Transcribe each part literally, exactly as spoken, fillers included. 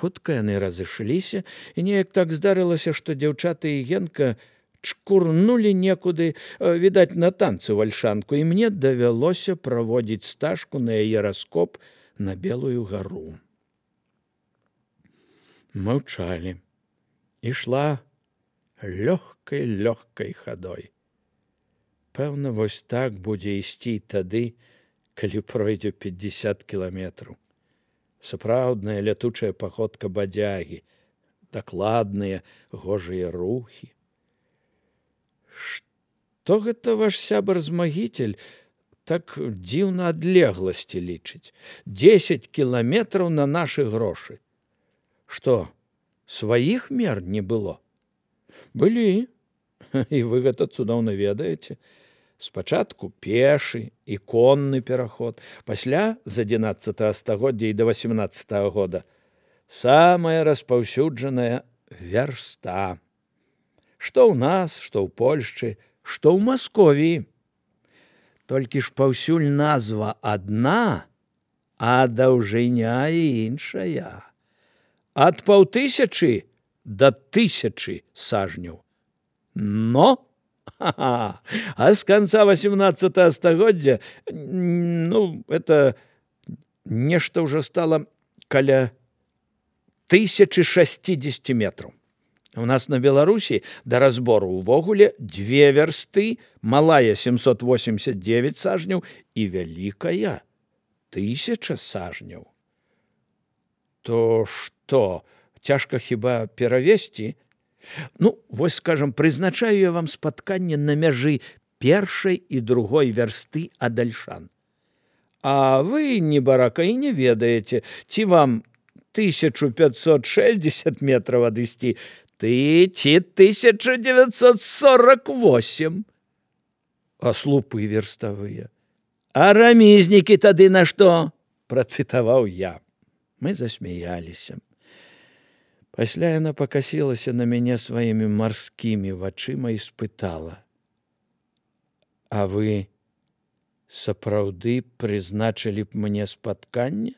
Хутка яны разышліся, і неяк так здарылася, што дзяўчаты і Генка чкурнулі некуды, відаць, на танцы ў Альшанку, і мне давялося праводзіць стажку на яе раскоп на Белую гару. Маўчалі. Ішла лёгкай-лёгкай хадой. Пэўна, вось так будзе ісці тады, калі пройдзе пятьдесят кіламетраў. Сапраўдная лятучая паходка бадзягі, дакладныя гожыя рухі. Што гэта ваш сябар-змагіцель так дзіўна адлегласці лічыць? Дзесяць кіламетраў на нашы грошы. Што, сваіх мер не было? Былі, і вы гэта цудоўна ведаеце. Спачатку пешы і конны пераход, пасля з адзінаццатага стагоддзя і да васямнаццатага года самая распаўсюджаная вярста. Што ў нас, што ў Польшчы, што ў Масковіі. Толькі ж паўсюль назва адна, а даўжыня іншая. Ад паўтысячы да тысячы сажняў. Но а с конца восемнадцатого стагоддзя, ну, это нешта ўжо стала каля тысячи шестидесяти метров. У нас на Беларусі да разбору увогуле две вярсты, малая семьсот восемьдесят девять сажняў і вялікая тысяча сажняў. То што, цяжка хіба перавесці? Ну, вось, скажам, прызначаю я вам спатканне на мяжы першай і другой вярсты ад Альшан. А вы, небарака, і не ведаеце, ці вам тысячу пятьсот шестьдесят метров адысці, ты ці тысяча девятьсот сорок восемь. А слупы верставыя. А рамізнікі тады на што? Працытаваў я. Мы засмяяліся. Пасля яна пакасілася на мяне сваімі марскімі вачыма і спытала: а вы сапраўды прызначылі б мне спатканне?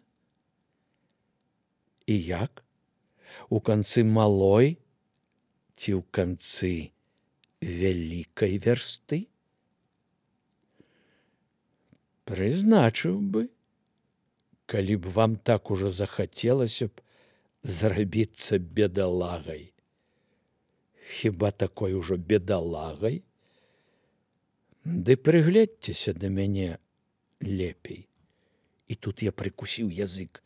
І як? У канцы малой ці ў канцы вялікай вярсты? Прызначыў бы, калі б вам так ужо захацелася б зрабіцца бедалагай. Хіба такой ужо бедалагай? Ды прыгледзьцеся да мяне лепей. І тут я прыкусіў язык.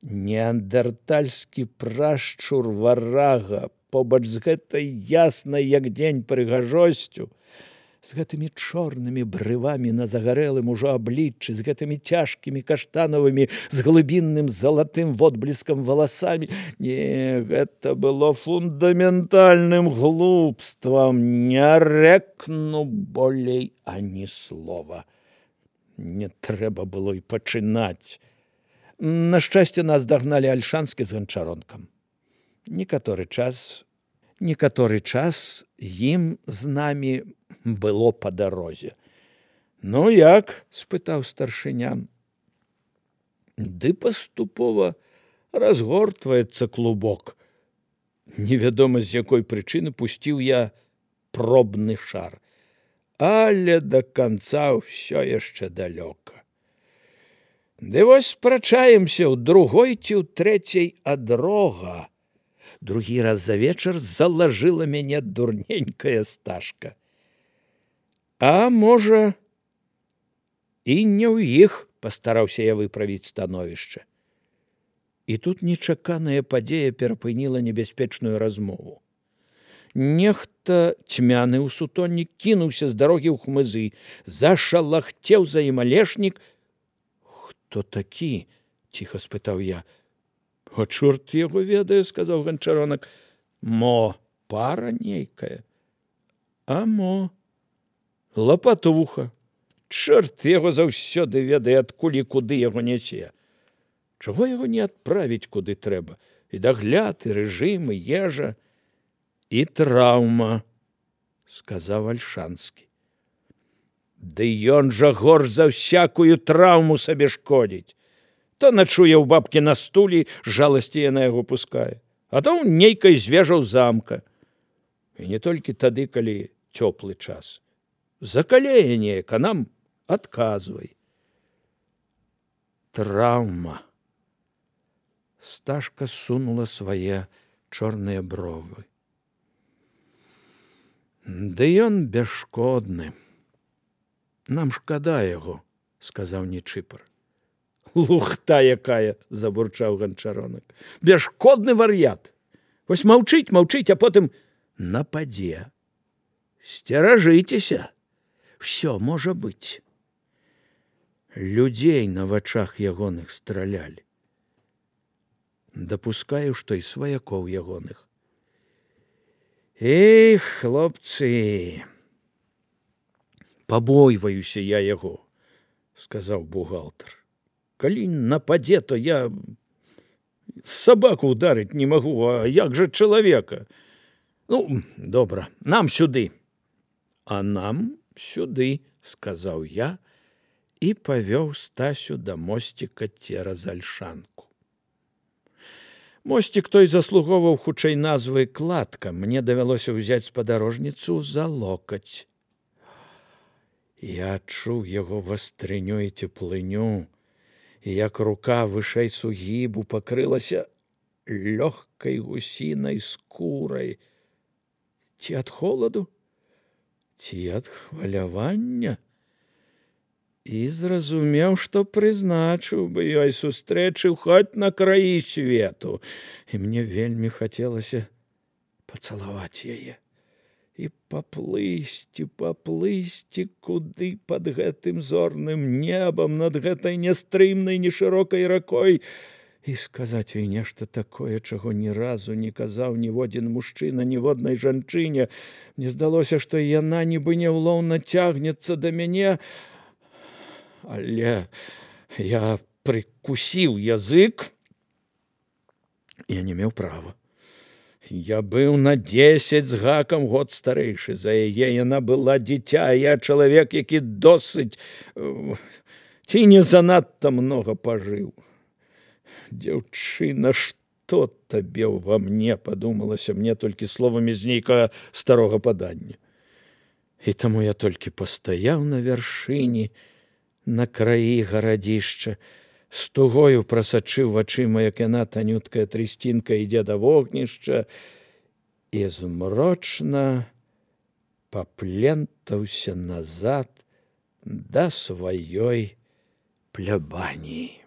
Неандертальскі прашчур варага, побач з гэтай яснай, як дзень, прыгажосцю, з гэтымі чорнымі брывамі на загарэлым ужо абліччы, з гэтымі цяжкімі каштанавымі, з глыбінным залатым водбліскам валасамі. Не, гэта было фундаментальным глупствам. Не рэкну болей ані слова. Не трэба было і пачынаць. На шчасце, нас дагналі Альшанскі з ганчаронкам. Некаторы час, некаторы час ім з намі было па дарозе. Ну, як? Спытаў старшыня. Ды паступова разгортваецца клубок. Невядома, з якой прычыны пусціў я пробны шар. Але да канца ўсё яшчэ далёка. Ды вось спрачаемся ў другой ці ў трэцяй ад рога. Другі раз за вечар залажыла мяне дурненькая стажка. А можа, і не ў іх, пастараўся я выправіць становішча. І тут нечаканая падзея перапыніла небяспечную размову. Нехта цьмяны ў сутоннік кінуўся з дарогі ў хмызы, зашалахцеў за ім алешнік. Хто такі? Ціха спытаў я. А чорт яго ведае, сказаў ганчаронак. Мо, пара нейкая. А мо, лапатуха. Чорт яго заўсёды ведае, адкуль і куды яго нясе. Чаго яго не адправіць куды трэба? І дагляд, і рэжым, і ежа, і траўма, сказаў Альшанскі. Ды ён жа горш за всякую траўму сабе шкодзіць. То начуе ў бабкі на стулі, з жаласці яна яго пускае, а то ў нейкай звежаў замка. І не толькі тады, калі цёплы час. Закалее неяк, а нам адказвай. Траўма. Сташка сунула свае чорныя бровы. Ды ён бясшкодны. Нам шкада яго, сказаў Нечыпар. Лухта якая, забурчаў Ганчаронак. Бясшкодны вар'ят. Вось маўчыць, маўчыць, а потым нападзе. Сцеражыцеся. Всё можа быць. Людзей на вачах ягоных стралялі. Дапускаю, што і сваякоў ягоных. Эх, хлопцы, пабойваюся я яго, сказаў бухгалтар. Калі нападзе, то я сабаку ударыць не магу, а як жа чалавека? Ну, добра, нам сюды. А нам сюды, сказаў я і павёў Стасю да мосціка цераз альшанку. Мосцік той заслугоўваў хутчэй назвы кладка. Мне давялося ўзяць спадарожніцу за локаць. Я адчуў яго вастрыню і цеплыню, і як рука вышэй сугібу пакрылася лёгкай гусінай скурай. Ці ад холаду, ці ад хвалявання? І зразумеў, што прызначыў бы ёй сустрэчы хоць на краі свету. І мне вельмі хацелася пацалаваць яе. І паплысці, паплысці куды пад гэтым зорным небам, над гэтай нястрымнай, нешырокай ракой, і сказаць ёй нешта такое, чаго ні разу не казаў ніводзін мужчына ніводнай жанчыне. Мне здалося, што яна нібы няўлоўна цягнецца да мяне, але я прыкусіў язык. Я не меў права. Я быў на дзесяць з гакам год старэйшы за яе. Яна была дзіця, а я чалавек, які досыць ці не занадта многа пажыў. Дзяўчына, што табе ўва мне, падумалася мне толькі словамі з нейкага старога падання. І таму я толькі пастаяў на вяршыні, на краі гарадзішча, з тугою прасачыў вачыма, як яна, танюткая трысцінка, ідзе да вогнішча, і змрочна паплентаўся назад да сваёй плябаніі.